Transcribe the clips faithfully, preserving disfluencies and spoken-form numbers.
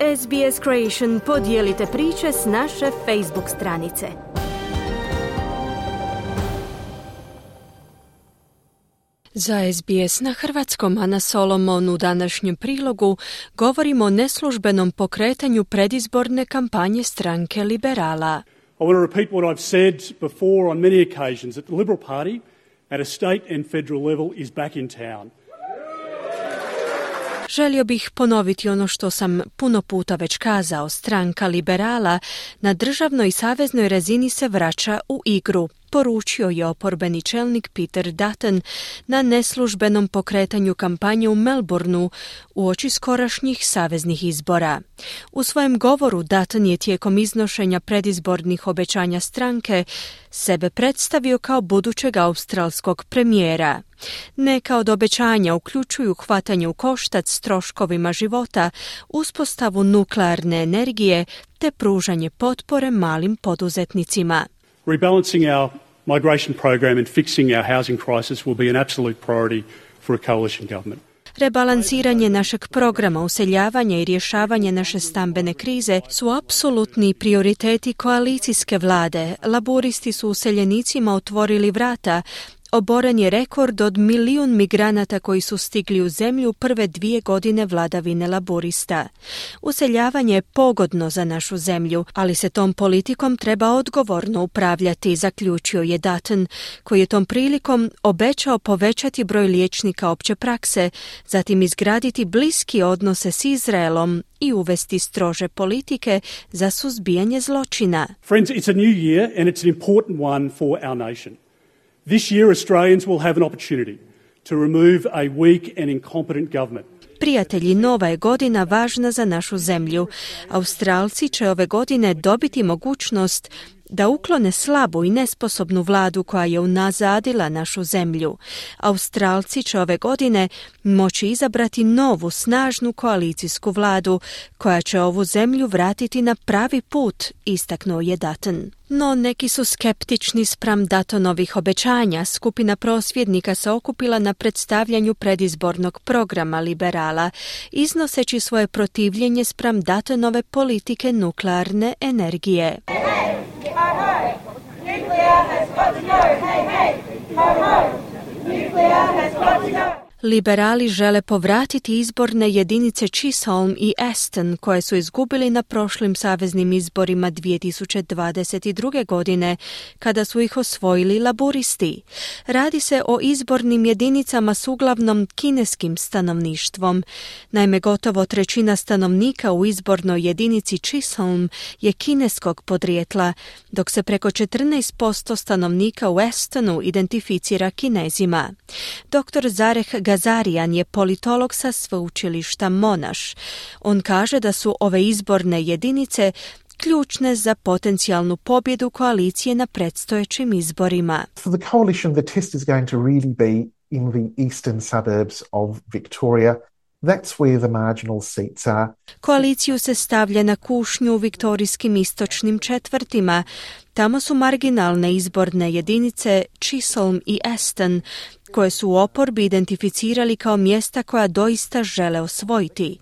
S B S Creation podijelite priče s naše Facebook stranice. Za S B S na hrvatskom, Ana Solomon, u današnjem prilogu govorimo o neslužbenom pokretanju predizborne kampanje stranke Liberala. I want to repeat what I've said before on many occasions, that the Liberal Party at a state and federal level is back in town. Želio bih ponoviti ono što sam puno puta već kazao. Stranka Liberala na državnoj i saveznoj razini se vraća u igru, poručio je oporbeni čelnik Peter Dutton na neslužbenom pokretanju kampanje u Melbourneu uoči skorašnjih saveznih izbora. U svojem govoru Dutton je tijekom iznošenja predizbornih obećanja stranke sebe predstavio kao budućeg australskog premijera. Neka od obećanja uključuju hvatanje u koštac s troškovima života, uspostavu nuklearne energije te pružanje potpore malim poduzetnicima. Rebalancing our migration program and fixing our housing crisis will be an absolute priority for a coalition government. Rebalansiranje našeg programa useljavanja i rješavanje naše stambene krize su apsolutni prioriteti koalicijske vlade. Laburisti su useljenicima otvorili vrata. Oboren je rekord od milijun migranata koji su stigli u zemlju prve dvije godine vladavine laburista. Useljavanje je pogodno za našu zemlju, ali se tom politikom treba odgovorno upravljati, zaključio je Dutton, koji je tom prilikom obećao povećati broj liječnika opće prakse, zatim izgraditi bliski odnose s Izraelom i uvesti strože politike za suzbijanje zločina. Friends, it's a new year and it's an important one for our nation. This year, Australians will have an opportunity to remove a weak and incompetent government. Prijatelji, nova je godina važna za našu zemlju. Australci će ove godine dobiti mogućnost da uklone slabu i nesposobnu vladu koja je unazadila našu zemlju. Australci će ove godine moći izabrati novu, snažnu koalicijsku vladu koja će ovu zemlju vratiti na pravi put, istaknuo je Dutton. No neki su skeptični spram Duttonovih obećanja. Skupina prosvjednika se okupila na predstavljanju predizbornog programa Liberala, iznoseći svoje protivljenje spram Duttonove politike nuklearne energije. Liberali žele povratiti izborne jedinice Chisholm i Aston koje su izgubili na prošlim saveznim izborima dvije tisuće dvadeset druge. godine kada su ih osvojili laburisti. Radi se o izbornim jedinicama s uglavnom kineskim stanovništvom. Naime, gotovo trećina stanovnika u izbornoj jedinici Chisholm je kineskog podrijetla, dok se preko četrnaest posto stanovnika u Astonu identificira Kinezima. doktor Zareh Gazarian je politolog sa sveučilišta Monash. On kaže da su ove izborne jedinice ključne za potencijalnu pobjedu koalicije na predstojećim izborima. For the coalition, the test is going to really be in the eastern suburbs of Victoria. That's where the marginal seats are. Koaliciju se stavlja na kušnju u viktorijskim istočnim četvrtima. Tamo su marginalne izborne jedinice Chisholm i Aston, koje su u oporbi identificirali kao mjesta koja doista žele osvojiti.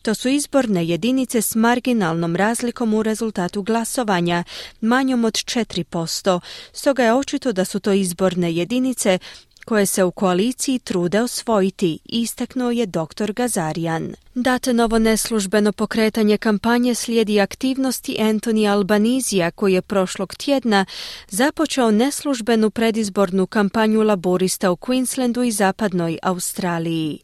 To su izborne jedinice s marginalnom razlikom u rezultatu glasovanja, manjom od četiri posto. Stoga je očito da su to izborne jedinice koje se u koaliciji trude osvojiti, istaknuo je doktor Gazarian. Duttonovo neslužbeno pokretanje kampanje slijedi aktivnosti Anthony Albanizija, koji je prošlog tjedna započeo neslužbenu predizbornu kampanju laborista u Queenslandu i zapadnoj Australiji.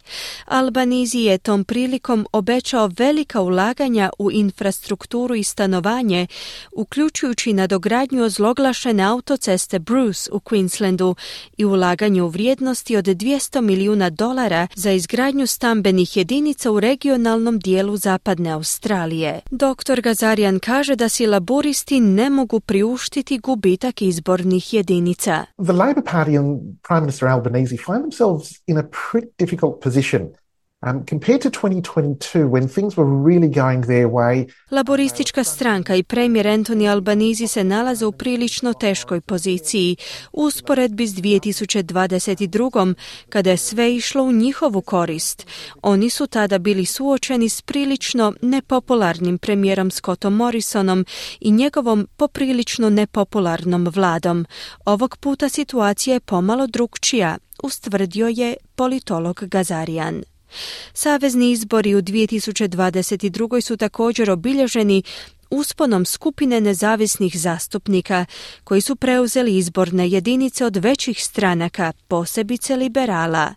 Albanizi je tom prilikom obećao velika ulaganja u infrastrukturu i stanovanje, uključujući nadogradnju ozloglašene autoceste Bruce u Queenslandu i ulaganje u vrijednosti od dvjesto milijuna dolara za izgradnju stambenih jedinica u regionalnom dijelu zapadne Australije. doktor Gazarian kaže da si laburisti ne mogu priuštiti gubitak izbornih jedinica. The Labor Party and Prime Minister Albanese find themselves in a pretty difficult position. Um, compared to twenty twenty-two, when things were really going their way. Laboristička stranka i premijer Anthony Albanese se nalaze u prilično teškoj poziciji u usporedbi s dvije tisuće dvadeset druge. kada je sve išlo u njihovu korist. Oni su tada bili suočeni s prilično nepopularnim premijerom Scottom Morrisonom i njegovom poprilično nepopularnom vladom. Ovog puta situacija je pomalo drukčija, ustvrdio je politolog Gazarian. Savezni izbori u dvije tisuće dvadeset druge. su također obilježeni usponom skupine nezavisnih zastupnika koji su preuzeli izborne jedinice od većih stranaka, posebice liberala.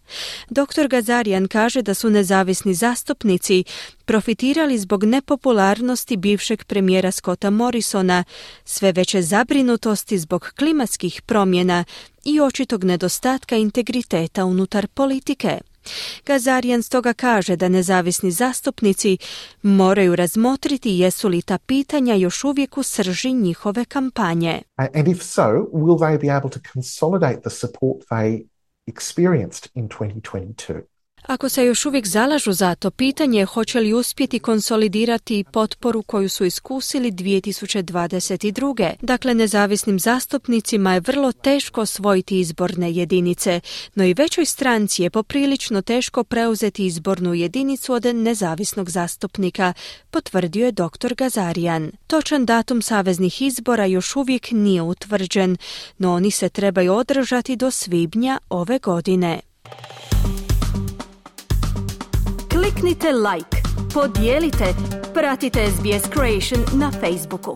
doktor Gazarian kaže da su nezavisni zastupnici profitirali zbog nepopularnosti bivšeg premijera Scotta Morrisona, sve veće zabrinutosti zbog klimatskih promjena i očitog nedostatka integriteta unutar politike. Gazarian stoga kaže da nezavisni zastupnici moraju razmotriti jesu li ta pitanja još uvijek u srži njihove kampanje. And if so, will they be able to consolidate the support they experienced in twenty twenty-two? Ako se još uvijek zalažu za to, pitanje je hoće li uspjeti konsolidirati potporu koju su iskusili dvije tisuće dvadeset druge. Dakle, nezavisnim zastupnicima je vrlo teško osvojiti izborne jedinice, no i većoj stranci je poprilično teško preuzeti izbornu jedinicu od nezavisnog zastupnika, potvrdio je doktor Gazarian. Točan datum saveznih izbora još uvijek nije utvrđen, no oni se trebaju održati do svibnja ove godine. Kliknite like, podijelite, pratite S B S Creation na Facebooku.